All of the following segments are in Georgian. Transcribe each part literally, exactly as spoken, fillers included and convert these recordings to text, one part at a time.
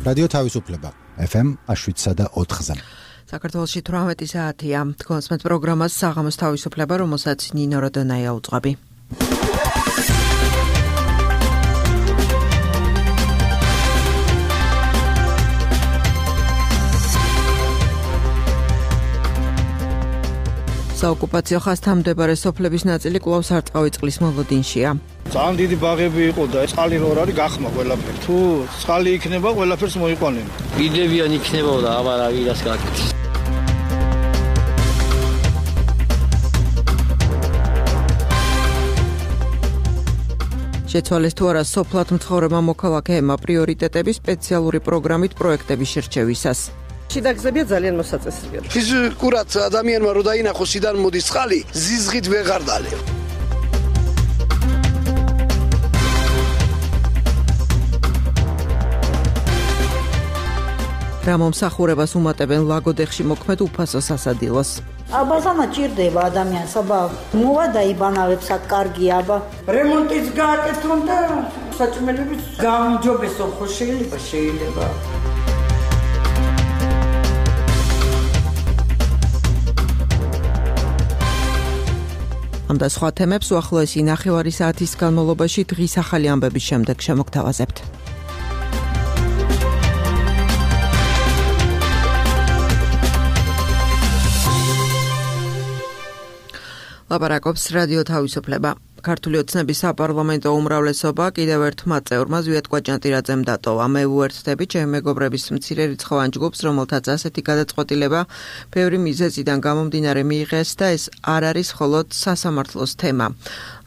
რადიო თავისუფლება ეფ ემ შვიდსა და ოთხზე. საქართველოში თვრამეტი საათია. თქვენს მე პროგრამას საღამოს თავისუფლება, რომელსაც ნინო როდონაია უძღვები. საოკუპაციო ხაზთან მდებარე სოფლების ნაწილი კვლავ სარწყავი წყლის მოლოდინშია. ძალიან დიდი ბაღები იყო და წყალი რო არის გახმა ყველაფერი. თუ წყალი იქნება, ყველაფერს მოიყვანენ. იდებიან იქნება და აბა რა ვიდას გაკეთეს. შეცვალეს თუ არა სოფლად მცხოვრებმა მოქალაქეებმა პრიორიტეტები სპეციალური პროგრამით პროექტების შერჩევისას. შიდაგზებია ძალიან მოსაწესრია. ფიზიკურად ადამიანმა რო დაინახოს სიდან მოდის წყალი, ზიზღით ვეღარ დალევ. რა მომსახურებას უმატებენ ლაგოდეხში მოქმედ უფასო სასადილოს. აბაზამა ჭირდება ადამიანს, აბა მოვა დაიბანავებს აქ კარგი აბა. რემონტიც გააკეთონ და საჭმელების გაუმჯობესო ხო შეიძლება შეიძლება. ამ და სხვა თემებს უახლოესი ნახევარი საათის განმავლობაში დღის ახალი ამბების შემდეგ შემოგთავაზებთ. ლაპარაკობს რადიო თავისუფლება. ქართული ოცნების საპარლამენტო უმრავლესობა კიდევ ერთმა წევრმა ზვიად კვაჭანტირაძემ დატოვა. მე უერთდები ჩემი მეგობრების მცირე რიცხოვან ჯგუფს, რომელთაც ასეთი გადაწყვეტილება ბევრი მიზეზიდან გამომდინარე მიიღეს და ეს არ არის მხოლოდ სასამართლოს თემა.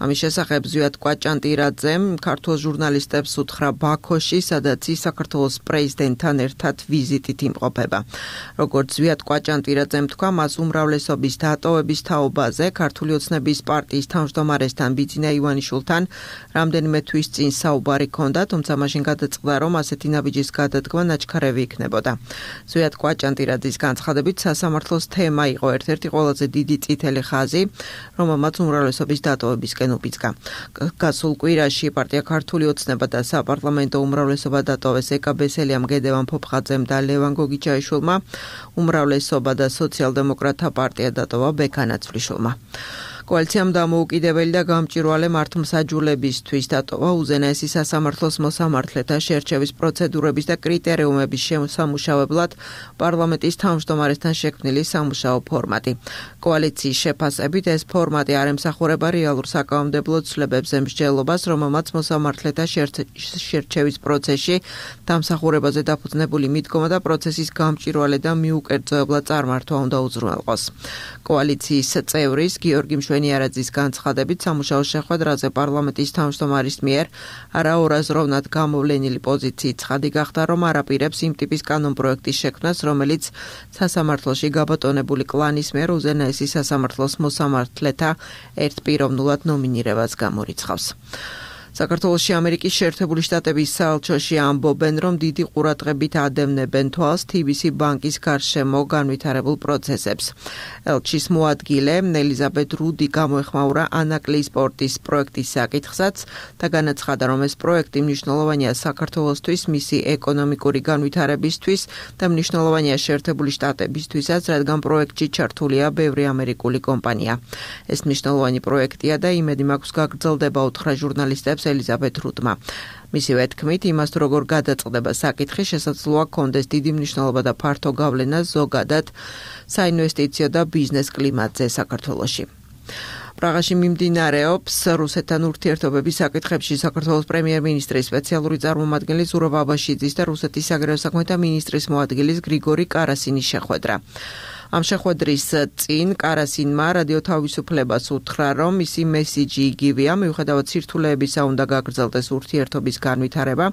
ამის შესახებ ზვიად კვაჭანტირაძემ ქართულ ჟურნალისტებს უთხრა ბაქოში, სადაც ის საქართველოს პრეზიდენტთან ერთად ვიზიტით იმყოფება. როგორც ზვიად კვაჭანტირაძემ თქვა, მას უმრავლესობის დატოვების თაობაზე ქართული ოცნების პარტიის თავმჯდომარესთან ბიძინა ივანიშვილთან რამდენიმე თვის წინ საუბარი ჰქონდა, თუმცა მაშინ გადაწყდა, რომ ასეთი ნაბიჯის გადადგმა ნაჩქარევი იქნებოდა. ზვიად კვაჭანტირაძის განცხადებით, სასამართლოს თემა იყო ერთ-ერთი ყველაზე დიდი წითელი ხაზი, რომელმაც უმრავლესობის დატოვებისკენ უბიძგა. გასულ კვირაში პარტია ქართული ოცნება და საპარლამენტო უმრავლესობა დატოვეს ეკა ბესელიამ, გედევან ფოფხაძემ და ლევან გოგიჩაიშვილმა, უმრავლესობა და სოციალ-დემოკრატთა პარტია დატოვა ბექა ნაცვლიშვილმა. კოალიციამ დამოუკიდებელი და გამჭვირვალე მართლმსაჯულებისთვის დატოვა უზენაესი სასამართლოს მოსამართლეთა შერჩევის პროცედურების და კრიტერიუმების შემოსამუშავებლად პარლამენტის თავმჯდომარესთან შექმნილი სამუშაო ფორმატი. კოალიციის შეფასებით ეს ფორმატი არ ემსახურება რეალურ საკანონმდებლო ცვლილებებზე მსჯელობას, რომელმაც მოსამართლეთა შერჩევის პროცესში დამსახურებაზე დაფუძნებული მიდგომა და პროცესის გამჭვირვალე და მიუკერძოებლად წარმართვა უნდა უზრუნველყოს. კოალიციის წევრის გიორგი მშვენიარაძის განცხადებით, სამუშაო შეხვედრაზე პარლამენტის თავმჯდომარის მიერ არაორაზროვნად გამოვლენილი პოზიციით ცხადი გახდა, რომ არაპირებს იმ ტიპის კანონპროექტის შექმნას, რომელიც სასამართლოში გაბატონებული კლანის მიერ უზენაესი სასამართლოს მოსამართლეთა ერთპიროვნულად ნომინირებას გამორიცხავს. საქართველოში ამერიკის შეერთებული შტატების საელჩოში ამბობენ, რომ დიდი ყურადღებით ადევნებენ თვალს თი ბი სი ბანკის გარშემო განვითარებულ პროცესებს. ელჩის მოადგილე ელიზაბეთ რუდი გამოეხმაურა ანაკლიის პორტის პროექტის საკითხსაც და განაცხადა, რომ ეს პროექტი მნიშვნელოვანია საქართველოსთვის, მისი ეკონომიკური განვითარებისთვის და მნიშვნელოვანია შეერთებული შტატებისთვისაც, რადგან პროექტში ჩართულია ბევრი ამერიკული კომპანია. ეს მნიშვნელოვანი პროექტია და იმედი მაქვს გაგრძელდება, უთხრა ჟურნალისტებს ელიზაბეთ რუდმა. მისივე თქმით, იმას თუ როგორ გადაწყდება საკითხი, შესაძლოა ჰქონდეს დიდი მნიშვნელობა და ფართო გავლენა ზოგადად საინვესტიციო და ბიზნეს კლიმატზე საქართველოში. პრაღაში მიმდინარეობს რუსეთთან ურთიერთობების საკითხებში საქართველოს პრემიერ-მინისტრის სპეციალური წარმომადგენელი ზურაბ აბაშიძის და რუსეთის საგარეო საქმეთა მინისტრის მოადგილის გრიგორი კარასინის შეხვედრა. ამ შეხვედრის წინ კარასინმა რადიო თავისუფლებას უთხრა, რომ მისი მესიჯი იგივეა, მიუხედავად სირთულეებისა უნდა გაგრძელდეს ურთიერთობის განვითარება.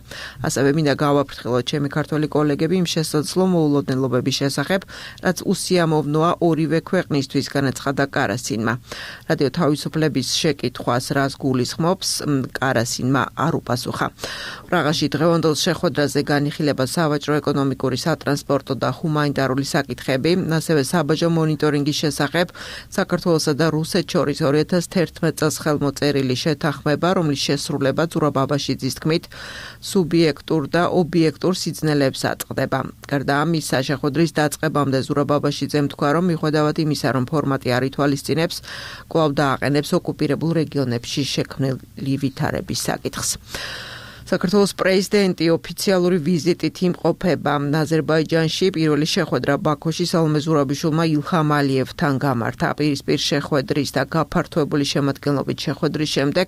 ასევე მინდა გავაფრთხილოთ ჩემი ქართველი კოლეგები იმ შესაძლო მოულოდნელობების შესახებ, რაც უსიამოვნოა ორივე ქვეყნისთვის, განაცხადა კარასინმა. რადიო თავისუფლების შეკითხვას რას გულისხმობს, კარასინმა არ უპასუხა. პრაღაში დღევანდელ შეხვედრაზე განიხილება სავაჭრო-ეკონომიკური, სატრანსპორტო და ჰუმანიტარული საკითხები, ასევე საბაჟო მონიტორინგის შესახებ საქართველოსა და რუსეთს შორის ორი ათას თერთმეტ წელს ხელმოწერილი შეთანხმება, რომლის შესრულება ზურაბ ბაბაშიძის თქმით სუბიექტურ და ობიექტურ სიძნელეებს აწყდება. გარდა ამისა, შეხვედრის დაწყებამდე ზურაბ ბაბაშიძემ თქვა, რომ მიუხედავად იმისა, რომ ფორმატი არ ითვალისწინებს, კვლავ დააყენებს ოკუპირებულ რეგიონებში შექმნილი ვითარების საკითხს. საქართველოს პრეზიდენტი ოფიციალური ვიზიტით იმყოფება აზერბაიჯანში. პირველი შეხვედრა ბაქოში სალომე ზურაბიშვილმა ილჰამ ალიევთან გამართა. პირისპირ შეხვედრის და გაფართოებული შემადგენლობით შეხვედრის შემდეგ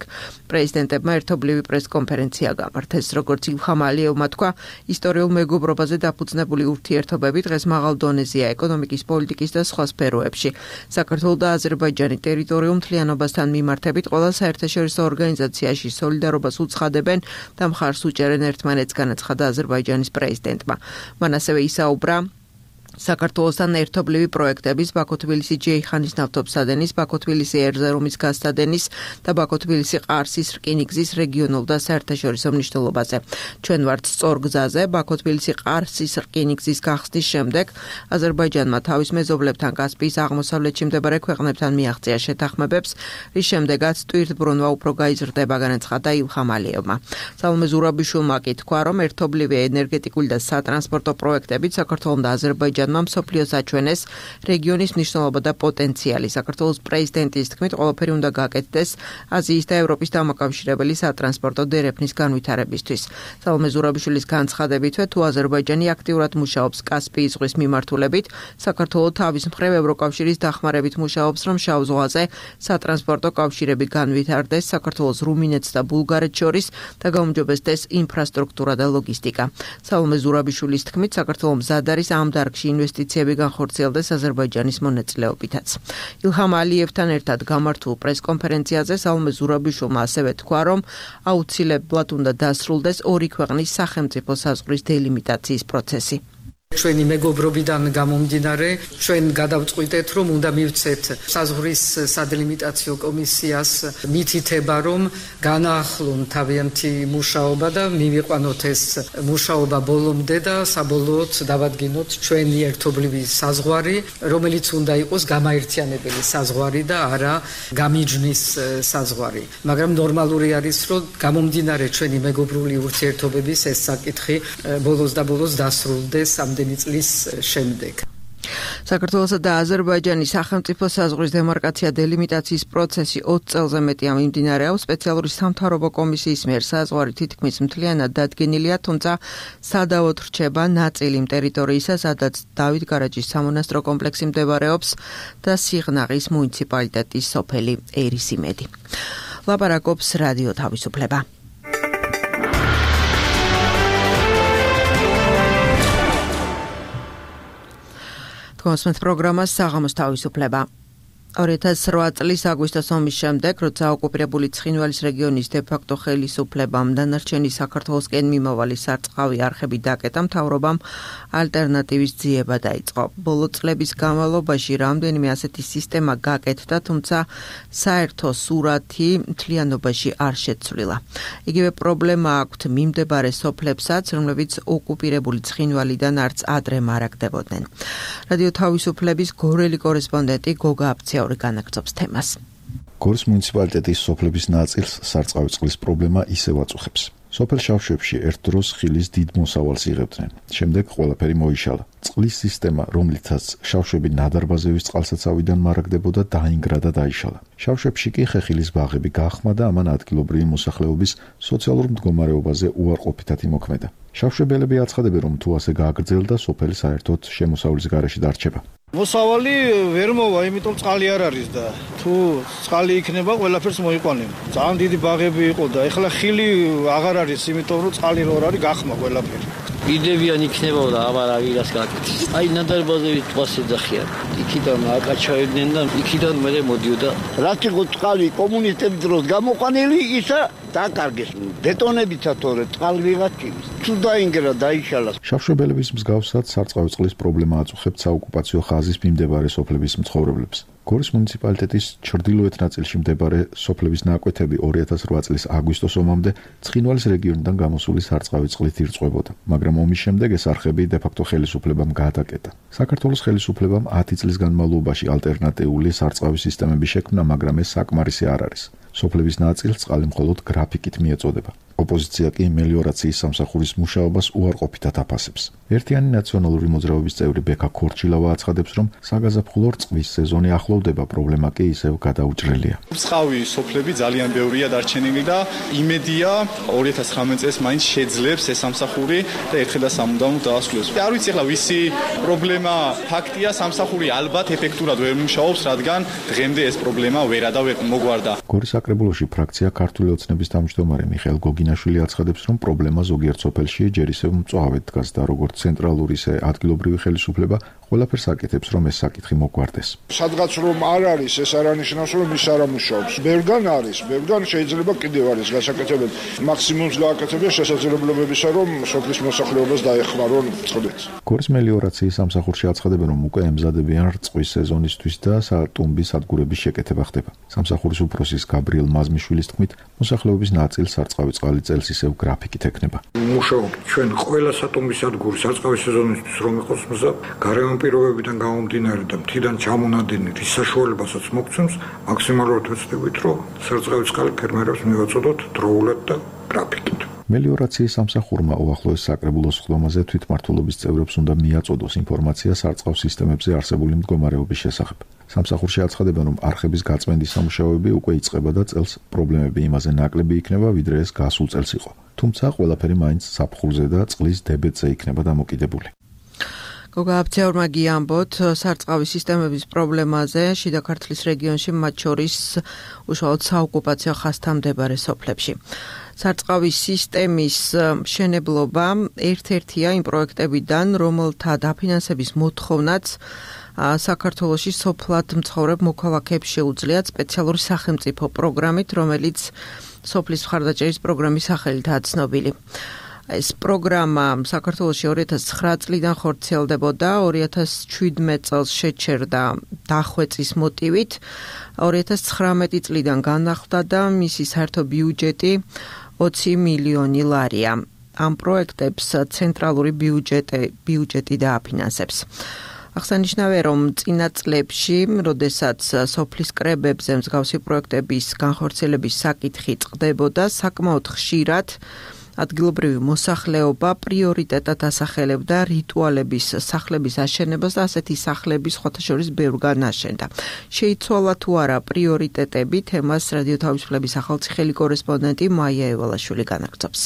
პრეზიდენტებმა ერთობლივი პრესკონფერენცია გამართეს. როგორც ილჰამ ალიევმა თქვა, ისტორიულ მეგობრობაზე დაფუძნებული ურთიერთობები დღეს მაღალ დონეზეა ეკონომიკის, პოლიტიკის და სხვა სფეროებში. საქართველოს და აზერბაიჯანი ტერიტორიულ მთლიანობასთან მიმართებით ყველა საერთაშორისო ორგანიზაციაში სოლიდარობას უცხადებენ და მხარს უჭერენ ერთმანეთს, განაცხადა აზერბაიჯანის პრეზიდენტმა. მან ასევე ისაუბრა საქართველოსთან ერთობლივი პროექტების, ბაქო-თბილისი-ჯეიხანის ნავთობსადენის, ბაქო-თბილისი ერზერუმის გაზსადენის და ბაქო-თბილისი-ყარსის რკინიგზის რეგიონულ და საერთაშორისო მნიშვნელობაზე. ჩვენ ვართ სწორ გზაზე. ბაქო-თბილისი-ყარსის რკინიგზის გახსნის შემდეგ აზერბაიჯანმა თავის მეზობლებთან კასპიის აღმოსავლეთში მდებარე ქვეყნებთან მიაღწია შეთანხმებებს, რის შემდეგაც ტვირთბრუნვა უფრო გაიზრდება, განაცხადა ილჰამ ალიევმა. სალომე ზურაბიშვილმა კი თქვა, რომ ერთობლივი ენერგეტიკული და სატრანსპორტო პროექტებით საქართველოს და აზერბაიჯანის მსოფლიოს აჩვენეს რეგიონის მნიშვნელობა და პოტენციალი. საქართველოს პრეზიდენტის თქმით, ყველაფერი უნდა გაკეთდეს აზიის და ევროპის დამაკავშირებელი სატრანსპორტო დერეფნის განვითარებისთვის. სალომე ზურაბიშვილის განცხადებითვე, თუ აზერბაიჯანი აქტიურად მუშაობს კასპიის ზღვის მიმართულებით, საქართველოს თავის მხრივ ევროკავშირის დახმარებით მუშაობს, რომ შავ ზღვაზე სატრანსპორტო კავშირები განვითარდეს საქართველოს, რუმინეთს და ბულგარეთს შორის და გაუმჯობესდეს ინფრასტრუქტურა და ლოგისტიკა. სალომე ზურაბიშვილის თქმით, საქართველოს მზად არის ამ დარგში ინვესტიციები განხორციელდეს აზერბაიჯანის მონაწილეობითაც. ილჰამ ალიევთან ერთად გამართულ პრესკონფერენციაზე სალომე ზურაბიშვილმა ასევე თქვა, რომ აუცილებლად უნდა დასრულდეს ორი ქვეყნის სახელმწიფო საზღვრის დელიმიტაციის პროცესი. ჩვენი მეგობრობიდან გამომდინარე, ჩვენ გადავწყვიტეთ, რომ უნდა მივცეთ საზღვრის სადელიმიტაციო კომისიას მითითება, რომ განაახლონ თავიანთი მუშაობა და მივიყვანოთ ეს მუშაობა ბოლომდე და საბოლოოდ დავადგინოთ ჩვენი ერთობლივი საზღვარი, რომელიც უნდა იყოს გამაერთიანებელი საზღვარი და არა გამიჯნის საზღვარი. მაგრამ ნორმალური არის, რომ გამომდინარე ჩვენი მეგობრული ურთიერთობების ეს საკითხი ბოლოს და ბოლოს დასრულდეს ამდენი წლის შემდეგ. საქართველოსა და აზერბაიჯანის სახელმწიფო საზღვრის დემარკაცია დელიმიტაციის პროცესი ოცი წელზე მეტია მიმდინარეობს. სპეციალური სამთავრობო კომისიის მიერ საზღვარი თითქმის მთლიანად დადგენილია, თუმცა სადავოდ რჩება ნაწილი იმ ტერიტორიისა, სადაც დავით გარაჯის სამონასტრო კომპლექსი მდებარეობს და სიღნაღის მუნიციპალიტეტის სოფელი ერისიმედი. ლაპარაკობს რადიო თავისუფლება. კონსმეთ პროგრამას საღამოს თავისუფლება. ორი ათას რვა წლის აგვისტოს ომის შემდეგ, როცა ოკუპირებული ცხინვალის რეგიონის დე-ფაქტო ხელისუფლებამ დანარჩენი საქართველოსკენ მიმავალი სარწყავი არხები დაკეტა, მთავრობამ ალტერნატივის ძიება დაიწყო. ბოლო წლების განმავლობაში რამდენიმე ასეთი სისტემა გაკეთდა, თუმცა საერთო სურათი მთლიანობაში არ შეცვლილა. იგივე პრობლემა აქვთ მიმდებარე სოფლებსაც, რომლებიც ოკუპირებული ცხინვალიდან არც ადრე მარაგდებოდნენ. რადიო თავისუფლების გორელი კორესპონდენტი გოგა აფცია განაგრძობს თემას. გორის მუნიციპალიტეტის სოფლების ნაწილს სარწყავი წყლის პრობლემა ისევ აწუხებს. სოფელ შავშევში ერთ დროს ხილის დიდ მოსავალს იღებდნენ. შემდეგ ყველაფერი მოიშალა. წყლის სისტემა, რომლითაც შავშევი ნადარბაზევის წყალსაცავიდან მარაგდებოდა, დაინგრა და დაიშალა. შავშევში კი ხეხილის ბაღები გაახმა და ამან ადგილობრივი მოსახლეობის სოციალურ მდგომარეობაზე უარყოფითად იმოქმედა. შავშეველები აცხადებენ, რომ თუ ასე გააგრძელდა, სოფელი საერთოდ შემოსავლის გარეშე დარჩება. მოსავალი ვერ მოვა, იმიტომ წყალი არ არის და თუ წყალი იქნება, ყველაფერს მოიყვანება. ძალიან დიდი ბაღები იყო და ეხლა ხილი აღარ არის, იმიტომ რომ წყალი რო არის, გახმა ყველაფერი. იდევიან იქნებოდა და აბა რა ვირას გაკეთეს. აი ნადარბაზები თვალს ეძახიან. იქიდან აკაჩავდნენ და იქიდან მერე მოდიოდა. რაც იყო წყალი კომუნისტების დროს გამოყვანილი, ისა დაკარგეს ბეტონებითა თორე წყალი ვიღაც ჭირის თუ დაინგრა დაიშალა შავშობელების მსგავსად სარწყავი წყლის პრობლემა აწუხებთ საოკუპაციო ხაზის მიმდებარე სოფლების მცხოვრებლებს. გორის მუნიციპალიტეტის ჩრდილოეთ ნაწილში მდებარე სოფლების ნაკვეთები ორი ათას რვა წლის აგვისტოს ომამდე ცხინვალის რეგიონიდან გამოსული სარწყავი წყლით ირწყვებოდა, მაგრამ ომის შემდეგ ეს არხები დე-ფაქტო ხელისუფლებამ გადაკეტა. საქართველოს ხელისუფლებამ ათი წლის განმავლობაში ალტერნატიული სარწყავი სისტემები შექმნა, მაგრამ ეს საკმარისი არ არის. სოფლების ნაწილს წყალი მხოლოდ გრაფიკით მიეწოდება. ოპოზიცია კი მელიორაციის სამსახურის მუშაობას უარყოფითად აფასებს. ერთიანი ნაციონალური მოძრაობის წევრი ბექა ქორჩილავა აცხადებს, რომ საგაზაფხულო რწყვის სეზონი ახლოვდება, პრობლემა კი ისევ გადაუჭრელია. რწყავი სოფლები ძალიან ბევრია დარჩენილი და იმედია ორი ათას ცხრამეტ წელს მაინც შეძლებს ეს სამსახური და ერთხელ და სამუდამოდ დაასრულებს. არ ვიცი ახლა ვისი პრობლემა ფაქტია, სამსახური ალბათ ეფექტურად ვერ მუშაობს, რადგან დღემდე ეს პრობლემა ვერა და ვერ მოგვარდა. გორის საკრებულოში ფრაქცია ქართული ოცნების თავმჯდომარე მიხეილ გოგინაშვილი აცხადებს, რომ პრობლემა ზოგიერთ სოფელში ჯერ ისევ მწვავედ დგას და როგორც ცენტრალური, ისე ადგილობრივი ხელისუფლება ყველაფერს აკეთებს, რომ ეს საკითხი მოგვარდეს. სადღაც რომ არ არის, ეს არ ანიშნავს, რომ ის არ ამუშავებს. ბევრგან არის, ბევრგან შეიძლება კიდევ არის გასაკეთებელი. მაქსიმუმს გააკეთებია შესაძლებლობებისა, რომ სოფლის მოსახლეობას დაეხმარონ წყლით. გორის მელიორაციის სამსახურში აცხადებენ, რომ უკვე ემზადებიან რწყვის სეზონისთვის და სატუმბის სადგურების შეკეთება ხდება. სამსახურის უფროსის გაბრიელ მაზმიშვილის თქმით, მოსახლეობის ნაწილს სარწყავი წყალი წელს ისევ გრაფიკით ექნება. მუშაობთ ჩვენ ყველა სატუმბის სადგური სარწყავი სეზონისთვის რომ იყოს მზად, გარემო პირობებიდან გამომდინარე და მთიდან ჩამონადენი რის საშუალებასაც მოგცემს, მაქსიმალურად ვეცდებით, რომ სარწყავი წყალი ფერმერებს მივაწოდოთ დროულად და გრაფიკით. მელიორაციის სამსახურმა უახლოეს საკრებულოს ხდომაზე თვითმმართველობის წევრებს უნდა მიაწოდოს ინფორმაცია სარწყავ სისტემებზე არსებული მდგომარეობის შესახებ. სამსახურში აცხადებენ, რომ არხების გაწმენდის სამუშაოები უკვე იწყება და წელს პრობლემები იმაზე ნაკლები იქნება, ვიდრე ეს გასულ წელს იყო. თუმცა ყველაფერი მაინც საფხურზე და წყლის დებედზე იქნება დამოკიდებული. გოგა აფცეურმა გიამბოთ სარწყავი სისტემების პრობლემაზე შიდა ქართლის რეგიონში, მათ შორის უშუალოდ საოკუპაციო ხაზთან მდებარე სოფლებში. სარწყავი სისტემის მშენებლობა ერთ-ერთია იმ პროექტებიდან, რომელთა დაფინანსების მოთხოვნაც საქართველოში სოფლად მცხოვრებ მოქალაქეებს შეუძლიათ სპეციალური სახელმწიფო პროგრამით, რომელიც სოფლის მხარდაჭერის პროგრამის სახელითაა ცნობილი. ეს პროგრამა საქართველოში ორი ათას ცხრა წლიდან ხორციელდებოდა, ორი ათას შვიდმეტ წელს შეჩერდა დახვეწის მოტივით, ორი ათას ცხრამეტი წლიდან განახლდა და მისი საერთო ბიუჯეტი ოცი მილიონი ლარია. ამ პროექტებს ცენტრალური ბიუჯეტი ბიუჯეტი დააფინანსებს. აღსანიშნავია, რომ წინა წლებში, როდესაც სოფლის კრებებზე მსგავსი პროექტების განხორციელების საკითხი წყდებოდა, საკმაოდ ხშირად ადგილობრივი მოსახლეობა პრიორიტეტად ასახელებდა რიტუალების სახლების აშენებას და ასეთი სახლების სხვათა შორის ბევრგან აშენდა. შეიცვალა თუ არა პრიორიტეტები, თემას რადიო თავისუფლების ახალციხელი კორესპონდენტი მაია ევალაშვილი განაგრძობს.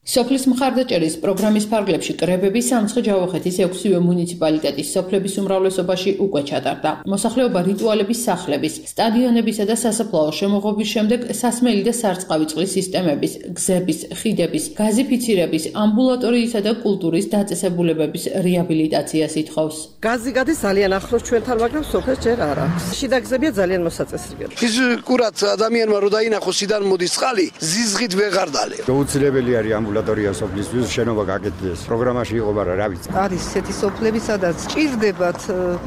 სოფლის მხარდაჭერის პროგრამის ფარგლებში კრებები სამცხე-ჯავახეთის ექვსივე მუნიციპალიტეტის სოფლების უმრავლესობაში უკვე ჩატარდა. მოსახლეობა რიტუალების სახლების, სტადიონებისა და სასაფლაო შემოღობის შემდეგ სასმელი და სარწყავი წყლის სისტემების, გზების, ხიდების, გაზიფიცირების, ამბულატორიისა და კულტურის დაწესებულებების რეაბილიტაციას ითხოვს. გაზი გადის ძალიან ახლოს ჩვენთან, მაგრამ სოფელს ჯერ არ აქვს. შიდა გზებია ძალიან მოსაწესრიგებელი. ფიზიკურად ადამიანმა რო დაინახოს სიდან მოდის წყალი, ზიზღით ვეღარ დალე. შეუძლებელი არის ამბულატორია სოფლისთვის შენობა გაკეთდეს. პროგრამაში იყო, მაგრამ რა ვიცი. არის ესეთი სოფლები, სადაც ჭირდებათ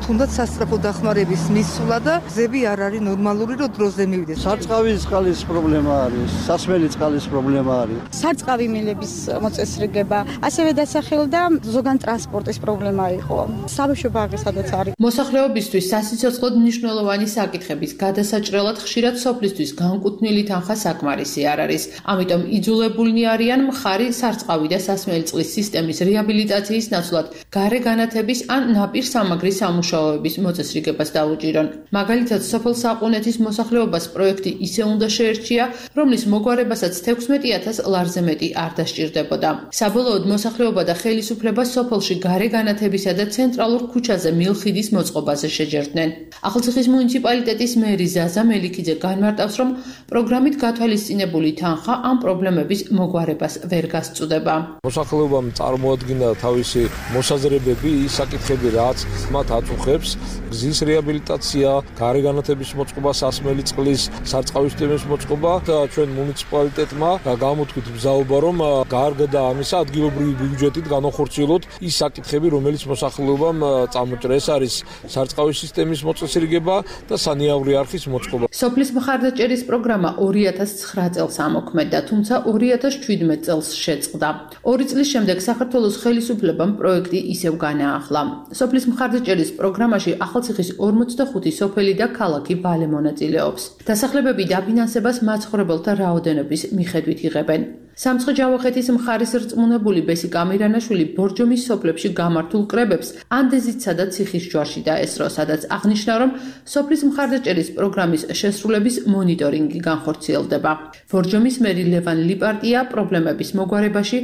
თუნდაც სასწრაფო დახმარების მისვლა და გზები არ არის ნორმალური, რომ დროზე მივიდეს. სარწყავი წყლის პრობლემა არის, სასმელი წყლის პრობლემა არის. სარწყავი მილების მოწესრიგება, ასევე დასახელდა ზოგან ტრანსპორტის პრობლემა იყო. საბავშვო ბაღი სადაც არის. მოსახლეობისთვის სასიცოცხლოდ მნიშვნელოვანი საკითხების გადასაჭრელად ხშირად სოფლისთვის განკუთვნილი თანხა საკმარისი არ არის. ამიტომ იძულებულნი არიან მხარი სარწყავი და სასმელი წყლის სისტემის რეაბილიტაციის ნაცვლად გარე განათების ან ნაპირ სამაგრის სამუშაოების მოწესრიგებას დაუჭირონ. მაგალითად, სოფელ საყუნეთის მოსახლეობას პროექტი ისე უნდა შეერჩია, რომლის მოგვარებასაც თექვსმეტი ათას ლარზე მეტი არ დასჭირდებოდა. საბოლოოდ მოსახლეობა და ხელისუფლება სოფელში გარე განათებისა და ცენტრალურ ქუჩაზე მილხიდის მოწყობაზე შეჯერდნენ. ახალციხის მუნიციპალიტეტის მერი ზაზა მელიქიძე განმარტავს, რომ პროგრამით გათვალისწინებული თანხა ამ პრობლემების მოგვარებას ვერ გასწუდება. მოსახლეობამ წარმოადგინა თავისი მოსაზრებები, ის საკითხები, რაც მათ აწუხებს, გზის რეაბილიტაცია, გარეგანათების მოწყობა, სასმელი წყლის, სარწყავი სისტემის მოწყობა და ჩვენ მუნიციპალიტეტმა გამოთქვით ბრძაობა, რომ გარდა ამისა ადგილობრივი ბიუჯეტით განახორციელოთ ის საკითხები, რომელიც მოსახლეობამ წამოჭრეს, არის სარწყავი სისტემის მოწესრიგება და სანიავრი არხის მოწყობა. სოფლის მხარდაჭერის პროგრამა ორი ათას ცხრა წელს ამოქმედდა, თუმცა ორი ათას ჩვიდმეტ წელს შეწყდა. ორი წლის შემდეგ საქართველოს ხელისუფლებამ პროექტი ისევ განაახლა. სოფლის მხარდაჭერის პროგრამაში ახალციხის ორმოცდახუთი სოფელი და ქალაქი ვალე მონაწილეობს. დასახლებები დაფინანსებას მაცხოვრებელთა რაოდენობის მიხედვით იღებენ. სამცხე-ჯავახეთის მხარის რწმუნებული ბესი კამირანაშვილი ბორჯომის სოფლებში გამართულ კრებებს ანდეზიცსა და ციხის ჯვარში დაესწრო, სადაც აღნიშნა, რომ სოფლის მხარდაჭერის პროგრამის შესრულების მონიტორინგი განხორციელდება. ბორჯომის მერი ლევან ლიპარტია პრობლემების მოგვარებაში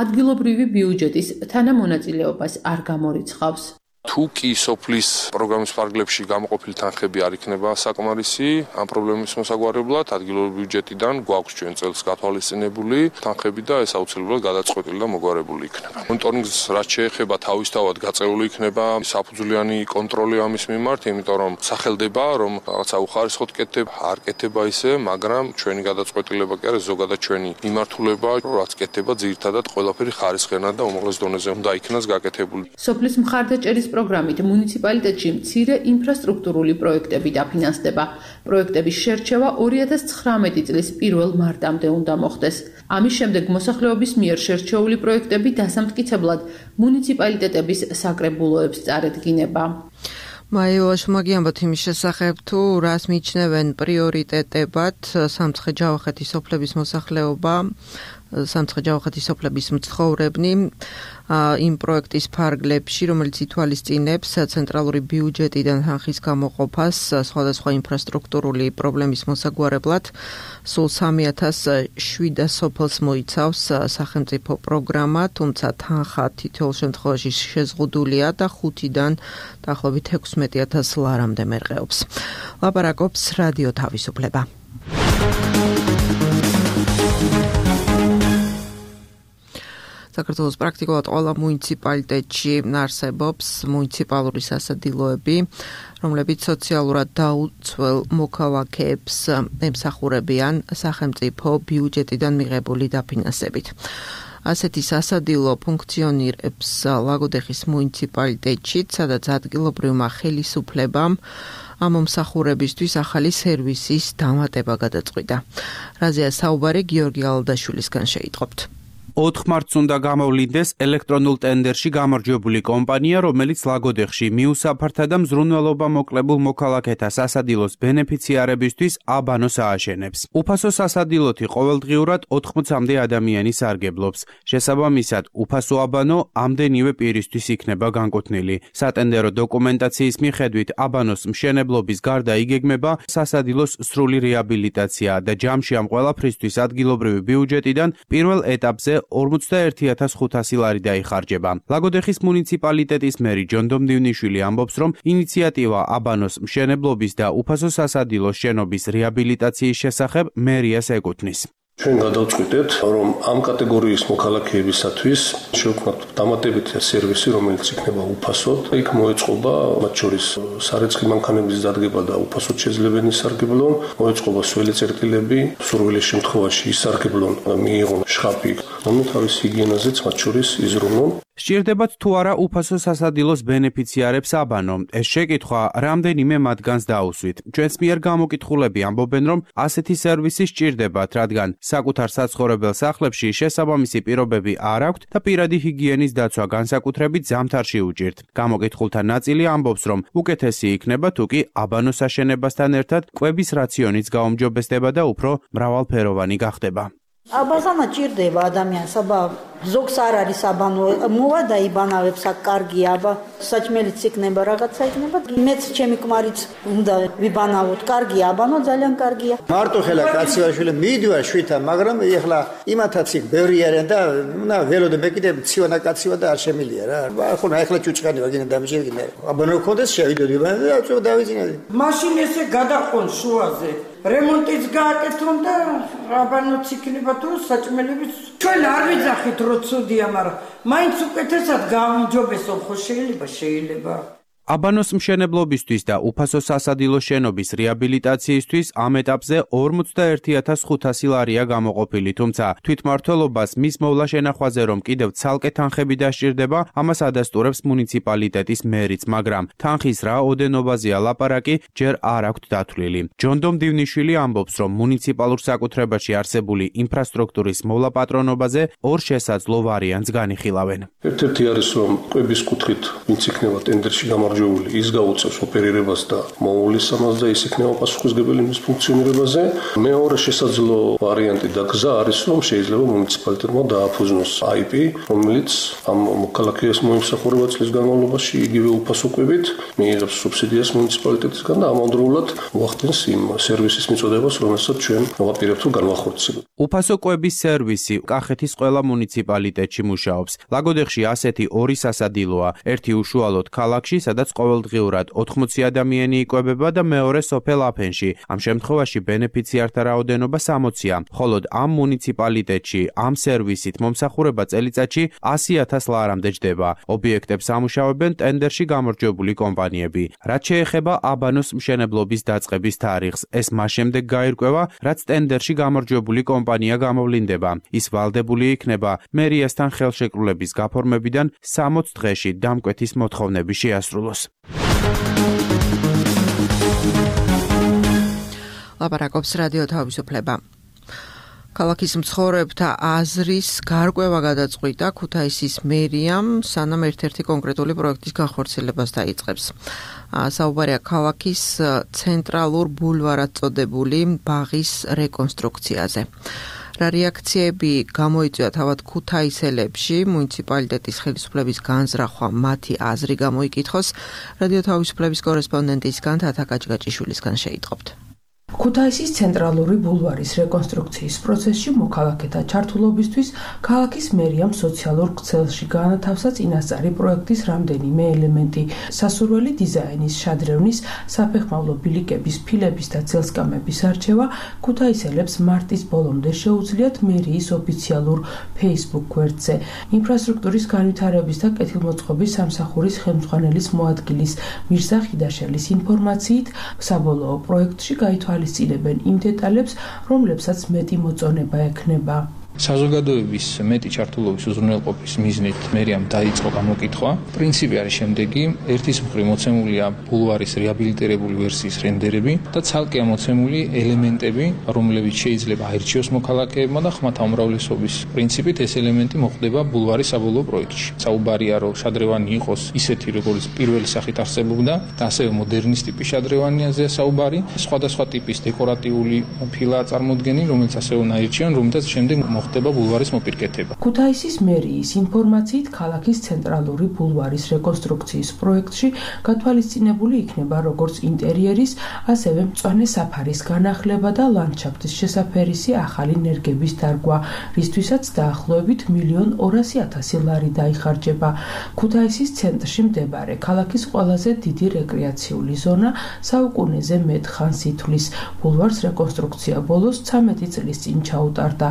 ადგილობრივი ბიუჯეტის თანამონაწილეობას არ გამორიცხავს. თუ კი სოფლის პროგრამის ფარგლებში გამოყოფილი თანხები არ იქნება საკმარისი ამ პრობლემის მოსაგვარებლად, ადგილობრივი ბიუჯეტიდან გვაქვს ჩვენ წელს გათვალისწინებული თანხები და ეს აუცილებლად გადაწყვეტილი და მოგვარებული იქნება. მონიტორინგს რაც შეეხება თავისთავად გაწეული იქნება საფუძვლიანი კონტროლი ამის მიმართ, იმიტომ რომ სახელდება, რომ რაღაცა უხარისხოდ კეთდება, არ კეთდება ისე, მაგრამ ჩვენი გადაწყვეტილება კი არის ზოგადად ჩვენი მიმართულება, რაც კეთდება ძირითადად ყველაფერი ხარისხიანად და უმაღლეს დონეზე უნდა იქნას გაკეთებული. სოფლის მხარდაჭერის პროგრამით მუნიციპალიტეტში მცირე ინფრასტრუქტურული პროექტები დაფინანსდება. პროექტების შერჩევა ორი ათას ცხრამეტი წლის პირველ მარტამდე უნდა მოხდეს. ამის შემდეგ მოსახლეობის მიერ შერჩეული პროექტები დასამტკიცებლად მუნიციპალიტეტების საკრებულოებს წარედგინება. მაიოაშ მაგიამბოთ იმის შესახებ, თუ რას მიიჩნევენ პრიორიტეტებად სამცხე-ჯავახეთის სოფლების მოსახლეობა, სამცხე-ჯავახეთის სოფლების მცხოვრებნი იმ პროექტის ფარგლებში, რომელიც ითვალისწინებს ცენტრალური ბიუჯეტიდან თანხის გამოყოფას სხვადასხვა ინფრასტრუქტურული პრობლემის მოსაგვარებლად. სულ სამი ათას შვიდას სოფელს მოიცავს სახელმწიფო პროგრამა, თუმცა თანხა თითოეულ შემთხვევაში შეზღუდულია და ხუთიდან დაახლოებით ექვსმეტი ათას ლარამდე მერყეობს. ლაპარაკობს რადიო თავისუფლება. საქართველოს პრაქტიკულად ყველა მუნიციპალიტეტში არსებობს მუნიციპალური სასადილოები, რომლებიც სოციალურად დაუცველ მოქალაქეებს ემსახურებიან სახელმწიფო ბიუჯეტიდან მიღებული დაფინანსებით. ასეთი სასადილო ფუნქციონირებს ლაგოდეხის მუნიციპალიტეტში, სადაც ადგილობრივმა ხელისუფლებამ ამ მომსახურებისთვის ახალი სერვისის დამატება გადაწყვიტა. რაზეა საუბარი გიორგი ალდაშვილისგან შეიტყობთ. ოთხ მარტს უნდა გამოვლინდეს ელექტრონულ ტენდერში გამარჯვებული კომპანია, რომელიც ლაგოდეხში მიუსაფართა და მზრუნველობა მოკლებულ მოქალაქეთა სასადილოს ბენეფიციარებისთვის აბანოს ააშენებს. უფასო სასადილოთი ყოველდღიურად ოთხმოცამდე ადამიანი სარგებლობს. შესაბამისად, უფასო აბანო ამდენივე პირისთვის იქნება განკუთვნილი. სატენდერო დოკუმენტაციის მიხედვით აბანოს მშენებლობის გარდა იგეგმება სასადილოს სრული რეაბილიტაცია და ჯამში ამ ყველაფრისთვის ადგილობრივი ბიუჯეტიდან პირველ ეტაპზე ორმოცდაერთი ათას ხუთასი ლარი დაიხარჯება. ლაგოდეხის მუნიციპალიტეტის მერი ჯონდომ დივნიშვილი ამბობს, რომ ინიციატივა აბანოს მშენებლობის და უფასო სასადილოს შენობის რეაბილიტაციის შესახებ მერიას ეკუთვნის. ჩვენ გადავწყვიტეთ, რომ ამ კატეგორიის მოქალაქეებისათვის შევქმნათ დამატებითი სერვისი, რომელიც იქნება უფასოდ. იქ მოეწყობა მათ შორის სარეცხი მანქანების დადგება და უფასოდ შესაძლებელი სარგებლონ, მოეწყობა სველი წერტილები, სურვილის შემთხვევაში ისარგებლონ და მიიღონ შხაპი, ანუ თავის ჰიგიენაზეც მათ შორის იზრუნონ. სჭირდებათ თუ არა უფასო სასადილოს ბენეფიციარებს აბანო. ეს შეკითხვა რამდენიმე მათგანს დაუსვით. ჩვენს მიერ გამოკითხულები ამბობენ, რომ ასეთი სერვისი სჭირდებათ, რადგან საკუთარ საცხოვრებელ სახლებში შესაბამისი პირობები არ აქვთ და პირადი ჰიგიენის დაცვა განსაკუთრებით ზამთარში უჭირთ. გამოკითხულთა ნაწილი ამბობს, რომ უკეთესი იქნება თუ კი აბანოს აშენებასთან ერთად კვების რაციონიც გაუმჯობესდება და უფრო მრავალფეროვანი გახდება. აბაზანა ჭირდება ადამიანს, აბა ზოგს არ არის აბანო, მოვა და იბანავებს აქ კარგია, აბა საჭმელიც იქნება, რაღაცა იქნება. მეც ჩემი ქმარიც უნდა ვიბანავოთ, კარგია აბანო, ძალიან კარგია. მარტო ხელა კაციაშვილი მიდივარ შვითა, მაგრამ ეხლა იმათაც იქ ბევრი არიან და უნდა ველოდე მე კიდე ცივანა კაცივა და არ შემილია რა. ხო, ეხლა ჭუჭყანი ვაგინა დამჭირგინა. აბანო გქონდეს შევიდოდი და წო დავიძინე. მაშინ ესე გადაყონ შუაზე. რემონტიც გააკეთონ და რაბანოც იქნება თუ საჭმელების ჩვენ არ ვიძახით რომ ცუდია, მაგრამ მაინც უკეთესად გაუმჯობესო ხო შეიძლება შეიძლება აბანოს მშენებლობისთვის და უფასო სასადილო შენობის რეაბილიტაციისთვის ამ ეტაპზე ორმოცდაერთი ათას ხუთასი ლარია გამოყოფილი, თუმცა თვითმმართველობას მის მოვლა შენახვაზე რომ კიდევ ცალკე თანხები დასჭირდება, ამას ადასტურებს მუნიციპალიტეტის მერიც, მაგრამ თანხის რა ოდენობაზეა ლაპარაკი ჯერ არ აქვთ დათვლილი. ჯონდომ დივნიშვილი ამბობს, რომ მუნიციპალურ საკუთრებაში არსებული ინფრასტრუქტურის მოვლა პატრონობაზე ორ შესაძლო ვარიანტს განიხილავენ. ერთ-ერთი არის რომ კვების კუთხით ვინც იქნება ტენდერში გამარჯვებული ის გაუწევს ოპერირებას და მოულის ამას და ის იქნება პასუხისმგებელი მის ფუნქციონირებაზე. მეორე შესაძლო ვარიანტი და გზა არის რომ შეიძლება მუნიციპალიტეტმა დააფუძნოს აი პი, რომელიც ამ მოქალაქეის მოიმსახურება წლის განმავლობაში იგივე უფასო კვებით მიიღებს სუბსიდიას მუნიციპალიტეტისგან და ამავდროულად უახდენს იმ სერვისის მიწოდებას, რომელსაც ჩვენ ვაპირებთ რომ განვახორციელებთ. უფასო კვების სერვისი კახეთის ყველა მუნიციპალიტეტში მუშაობს. ლაგოდეხში ასეთი ორი სასადილოა, ერთი უშუალოდ ქალაქში, სადაც ყოველდღიურად ოთხმოცი ადამიანი იკვებება და მეორე სოფელ აფენში. ამ შემთხვევაში ბენეფიციართა რაოდენობა სამოცია, ხოლო ამ მუნიციპალიტეტში ამ სერვისით მომსახურება წელიწადში ასი ათას ლარამდე ჯდება. ობიექტებს ამუშავებენ ტენდერში გამარჯვებული კომპანიები. რაც შეეხება აბანოს მშენებლობის დაწყების თარიღს, ეს მას შემდეგ გაირკვევა, რაც ტენდერში გამარჯვებული კომპანია გამოვლინდება. ის ვალდებული იქნება მერიასთან ხელშეკრულების გაფორმებიდან სამოც დღეში დამკვეთის მოთხოვნები შეასრულოს. ლაპარაკობს რადიო თავისუფლება. ქალაქის მცხოვრებთა აზრის გარკვევა გადაწყვიტა ქუთაისის მერიამ, სანამ ერთ-ერთი კონკრეტული პროექტის განხორციელებას დაიწყებს. საუბარია ქალაქის ცენტრალურ ბულვარად წოდებული ბაღის რეკონსტრუქციაზე. რა რეაქციები გამოიწვია თავად ქუთაისელებში, მუნიციპალიტეტის ხელისუფლების განზრახვა მათი აზრი გამოიკითხოს, რადიო თავისუფლების კორესპონდენტისგან თათა გაჭგაჭიშვილისგან შეიტყობთ. ქუთაისის ცენტრალური ბულვარის რეკონსტრუქციის პროცესში მოქალაქეთა ჩართულობისთვის ქალაქის მერიამ სოციალურ ქსელში გაანათავსა წინასწარი პროექტის რამდენიმე ელემენტი. სასურველი დიზაინის, შადრევნის, საფეხმავლო ბილიკების, ფილების და ძელსკამების არჩევა ქუთაისელებს მარტის ბოლომდე შეუძლიათ მერიის ოფიციალურ Facebook გვერდზე. ინფრასტრუქტურის განვითარების და კეთილმოწყობის სამსახურის ხელმძღვანელის მოადგილის მირზა ხიდაშელის ინფორმაციით, საბოლოო პროექტში გაითვალისწინებენ იმ დეტალებს, რომლებსაც მეტი მოწონება ექნება. საზოგადოების მეტი ჩართულობის უზრუნველყოფის მიზნით მერიამ დაიწყო გამოკითხვა. პრინციპი არის შემდეგი: ერთის მხრივ მოცემულია ბულვარის რეაბილიტირებული ვერსიის რენდერები და ცალკე ამოცემული ელემენტები, რომლებიც შეიძლება აირჩიოს მოქალაქეებმა და ხმათა უმრავლესობის პრინციპით ეს ელემენტი მოხდება ბულვარის საბოლოო პროექტში. საუბარია რომ შადრევანი იყოს ისეთი, როგორც პირველი სახით არსებობდა და ასევე მოდერნის ტიპის შადრევანიაზეა საუბარი. სხვადასხვა ტიპის დეკორატიული ფილაა წარმოდგენილი, რომელიც ასევე უნდა აირჩიონ, რომელთაც შემდეგ ხდება ბულვარის მოპირკეთება. ქუთაისის მერიის ინფორმაციით ქალაქის ცენტრალური ბულვარის რეკონსტრუქციის პროექტში გათვალისწინებული იქნება როგორც ინტერიერის, ასევე მწვანე საფარის განახლება და ლანდშაფტის შესაფერისი ახალი ნერგების დარგვა, რისთვისაც დაახლოებით მილიონ ორასი ათასი ლარი დაიხარჯება. ქუთაისის ცენტრში მდებარე ქალაქის ყველაზე დიდი რეკრეაციული ზონა საუკუნეზე მეტ ხანს ითვლის. ბულვარს რეკონსტრუქცია ბოლოს ცამეტი წლის წინ ჩაუტარდა.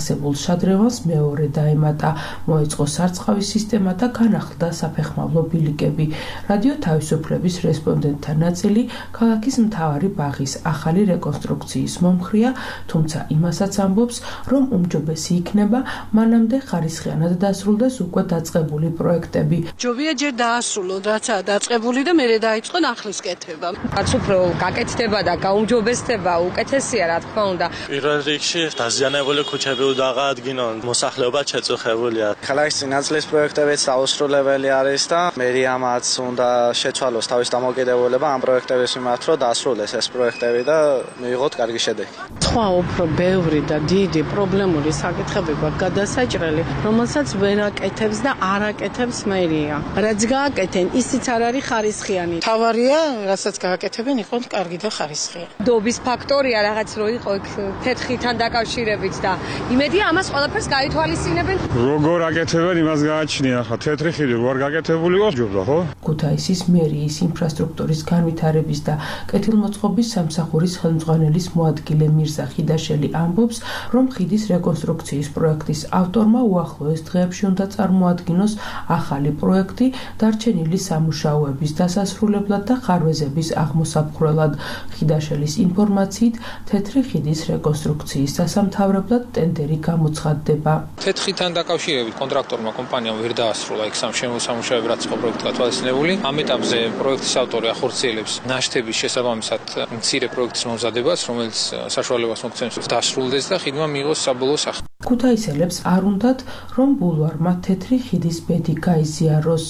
არსებულ შადრევანს მეორე დაემატა, მოეწყო სარწყავის სისტემა და განახლდა საფეხმავლო ბილიკები. რადიო თავისუფლების რესპონდენტთა ნაწილი ქალაქის მთავარი ბაღის ახალი რეკონსტრუქციის მომხრეა, თუმცა იმასაც ამბობს, რომ უმჯობესი იქნება მანამდე ხარისხიანად დასრულდეს უკვე დაწყებული პროექტები. ჯობია ჯერ დაასრულოთ, რაცაა დაწყებული და მერე დაიწყონ ახლის კეთება. რაც უფრო გაკეთდება და გაუმჯობესდება, უკეთესია რა თქმა უნდა. პირველ რიგში დაზიანებული ქუჩები უნდა აღადგინონ, მოსახლეობა შეწუხებულია. ქალაქის წინაწლის პროექტებიც დაუსრულებელი არის და მერიამაც უნდა შეცვალოს თავის დამოკიდებულება ამ პროექტების მიმართ, რომ დაასრულეს ეს პროექტები და მიიღოთ კარგი შედეგი. სხვა უფრო ბევრი და დიდი პრობლემური საკითხები გვაქვს გადასაჭრელი, რომელსაც ვერ აკეთებს და არ აკეთებს მერია. რაც გააკეთენ, ისიც არ არის ხარისხიანი. თავარია, რასაც გააკეთებენ, იყოს კარგი და ხარისხიანი. დობის ფაქტორია რაღაც რო იყო იქ თეთრთან დაკავშირებით და იმედია ამას ყველაფერს გაითვალისწინებენ. როგორ აკეთებენ იმას გააჩნია ხა თეთრი ხიდი როგორ გაკეთებული იყო ჯობდა ხო? ქუთაისის მერიის ინფრასტრუქტურის განვითარების და კეთილმოწყობის სამსახურის ხელმძღვანელის მოადგილე მირზა ხიდაშელი ამბობს, რომ ხიდის რეკონსტრუქციის პროექტის ავტორმა უახლოეს დღეებში უნდა წარმოადგინოს ახალი პროექტი დარჩენილი სამუშაოების დასასრულებლად და ხარვეზების აღმოსაფხვრელად. ხიდაშელის ინფორმაციით, თეთრი ხიდის რეკონსტრუქციის დასამთავრებლად ტენდერი გამოცხადდება. თეთრთან დაკავშირებით კონტრაქტორმა კომპანიამ ვერ დაასრულა იქ სამუშაოები, რაც იყო პროექტი გათვალისწინებული. ამ ეტაპზე პროექტის ავტორი ახორციელებს ნაშთების შესაბამისად მცირე პროექტის მომზადებას, რომელიც საშუალებას მოგცემს დასრულდეს და ხიდმა მიიღოს საბოლოო სახე. ქუთაისელებს არ უნდათ, რომ ბულვარმა თეთრი ხიდის ბედი გაიზიაროს.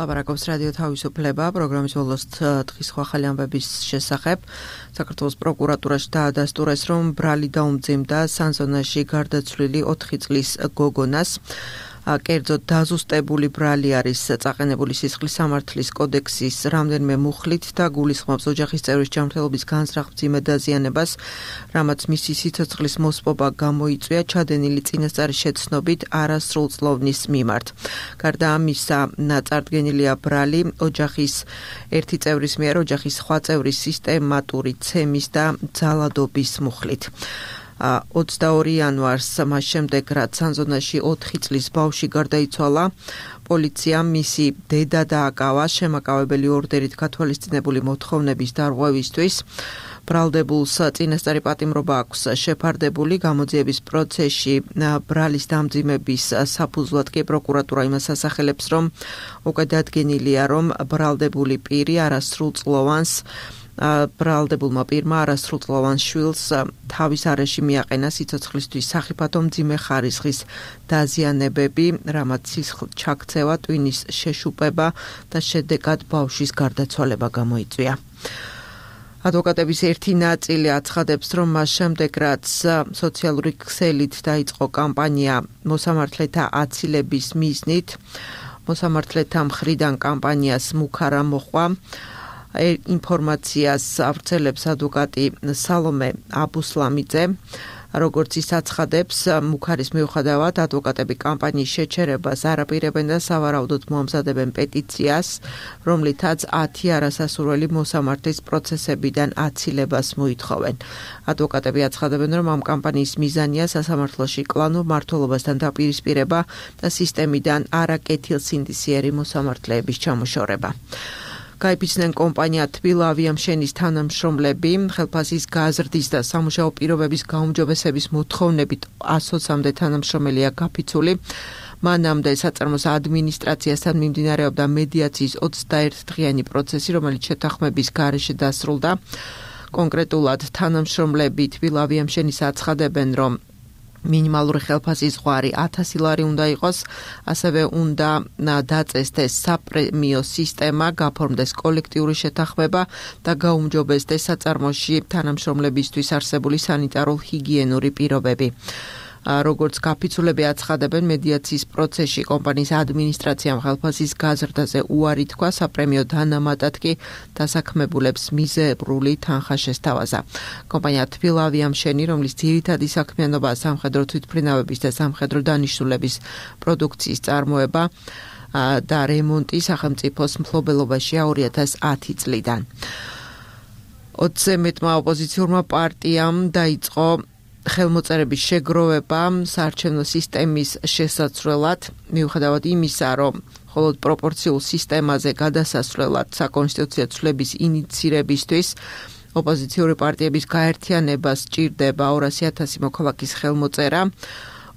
ლაპარაკობს რადიო თავისუფლება პროგრამის ბოლოს დღის ახალი ამბების შესახებ. საქართველოს პროკურატურაში დაადასტურეს, რომ ბრალი დაუმძიმდა სანზონაში გარდაცვლილი ოთხი წლის გოგონას. კერძოდ დაზუსტებული ბრალი არის წაყენებული სისხლის სამართლის კოდექსის რამდენიმე მუხლით და გულისხმობს ოჯახის წევრის ჯანმრთელობის განზრახ მძიმე დაზიანებას, რამაც მისი სიცოცხლის მოსპობა გამოიწვია ჩადენილი წინასწარი შეცნობით არასრულწლოვნის მიმართ. გარდა ამისა, წარდგენილია ბრალი ოჯახის ერთი წევრის მიერ ოჯახის სხვა წევრის სისტემატური ცემის და ძალადობის მუხლით. ოცდაორი იანვარს მას შემდეგ, რაც სანზონაში ოთხი წლის ბავშვი გარდაიცვალა, პოლიციამ მისი დედა დააკავა შემაკავებელი ორდერით გათვალისწინებული მოთხოვნების დარღვევისთვის. ბრალდებულს წინასწარი პატიმრობა აქვს შეფარდებული. გამოძიების პროცესში ბრალის დამძიმების საფუძვლად კი პროკურატურა იმას ასახელებს, რომ უკვე დადგენილია, რომ ბრალდებული პირი არასრულწლოვანს ბრალდებულმა პირმა არასრულწლოვან შვილს თავის არეში მიაყენა სიცოცხლისთვის სახიფათო მძიმე ხარისხის დაზიანებები, რამაც სისხლ ჩაქცევა, ტვინის შეშუპება და შედეგად ბავშვის გარდაცვალება გამოიწვია. ადვოკატების ერთი ნაწილი აცხადებს, რომ მას შემდეგ, რაც სოციალური ქსელით დაიწყო კამპანია მოსამართლეთა აცილების მიზნით, მოსამართლეთა მხრიდან კამპანიას მუქარა მოყვა. ინფორმაციას ავრცელებს ადვოკატი სალომე აბუსლამიძე. როგორც ის აცხადებს, მუქარის მიუხედავად ადვოკატები კამპანიის შეჩერებას არ აპირებენ და სავარაუდოდ მოამზადებენ პეტიციას, რომლითაც ათი არასასურველი მოსამართლის პროცესებიდან აცილებას მოითხოვენ. ადვოკატები აცხადებენ, რომ ამ კამპანიის მიზანია სასამართლოში კლანურ მმართველობასთან დაპირისპირება და სისტემიდან არაკეთილსინდისიერი მოსამართლეების ჩამოშორება. გაიფიცნენ კომპანია თბილავიამშენის თანამშრომლები ხელფასის გაზრდის და სამუშაო პირობების გაუმჯობესების მოთხოვნებით ასოცამდე თანამშრომელია გაფიცული. მანამდე საწარმოს ადმინისტრაციასთან მიმდინარეობდა მედიაციის ოცდაერთი დღიანი პროცესი, რომელიც შეთანხმების გარეშე დასრულდა. კონკრეტულად თანამშრომლები თბილავიამშენის აცხადებენ, რომ მინიმალური ხელფასის ზღვარი ათასი ლარი უნდა იყოს, ასევე უნდა დაწესდეს საპრემიო სისტემა, გაფორმდეს კოლექტიური შეთანხმება და გაუმჯობესდეს საწარმოში თანამშრომლებისთვის არსებული სანიტარულ-ჰიგიენური პირობები. როგორც გაფიცულები აცხადებენ, მედიაციის პროცესში კომპანიის ადმინისტრაციამ ხელფასის გაზრდაზე უარი თქვა, საპრემიო დანამატად კი დასაქმებულებს მიზერული თანხა შესთავაზა. კომპანია თბილავიამშენი, რომლის ძირითადი საქმიანობაა სამხედრო თვითმფრინავების და სამხედრო დანიშნულების პროდუქციის წარმოება და რემონტი სახელმწიფოს მფლობელობაშია ორი ათას ათი წლიდან. ოცზე მეტმა ოპოზიციურმა პარტიამ დაიწყო ხელმოწერების შეგროვება საარჩევნო სისტემის შესაცვლელად, მიუხედავად იმისა, რომ მხოლოდ პროპორციულ სისტემაზე გადასასვლელად საკონსტიტუციო ცვლილების ინიცირებისთვის ოპოზიციური პარტიების გაერთიანებას სჭირდება ორასი ათასი მოქალაქის ხელმოწერა.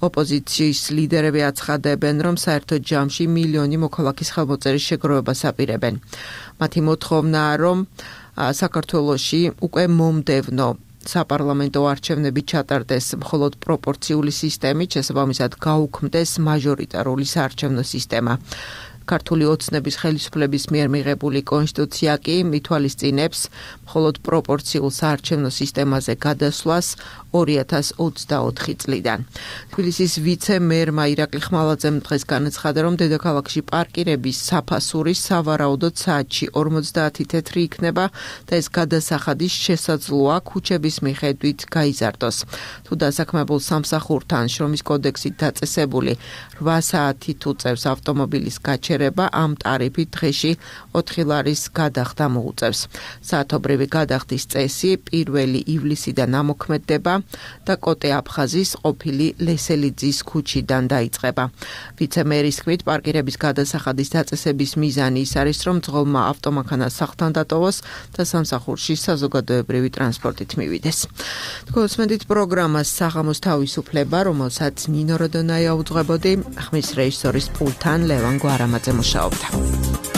ოპოზიციის ლიდერები აცხადებენ, რომ საერთო ჯამში მილიონი მოქალაქის ხელმოწერის შეგროვებას აპირებენ. მათი მოთხოვნაა, რომ საქართველოში უკვე მომდევნო საპარლამენტო არჩევნები ჩატარდეს მხოლოდ პროპორციული სისტემით, შესაბამისად გაუქმდეს მაჟორიტარული საარჩევნო სისტემა. ქართული ოცნების ხელისუფლების მიერ მიღებული კონსტიტუცია კი მითვალისწინებს მხოლოდ პროპორციულ საარჩევნო სისტემაზე გადასვლას ორი ათას ოცდაოთხი წლიდან. თბილისის ვიცე-მერმა ირაკლი ხმალაძემ დღეს განაცხადა, რომ დედაქალაქში პარკირების საფასური სავარაუდოდ საათში ორმოცდაათი თეთრი იქნება და ეს გადასახადის შესაძლოა ქუჩების მიხედვით გაიზარდოს. თუ დასაქმებულ სამსახურთან შრომის კოდექსით დაწესებული რვა საათი თუ წევს ავტომობილის გაჩერება, ამ ტარიფით დღეში ოთხი ლარის გადახდა მოუწევს. საათობრივი გადახდის წესი პირველი ივლისიდან ამოქმედდება და კოტე აფხაზის ყოფილი ლესელიძის ქუჩიდან დაიწყება. ვიცე-მერის თქმით, პარკირების გადასახადის დაწესების მიზანი ის არის, რომ ძღოლმა ავტომანქანა სახლთან დატოვოს და სამსახურში საზოგადოებრივი ტრანსპორტით მივიდეს. თქვენს პროგრამას საღამოს თავისუფლება, რომელსაც ნინო როდონაია უძღვებოდი, ხმის რეჟისორის პულთან ლევან გვარამაძე მუშაობდა.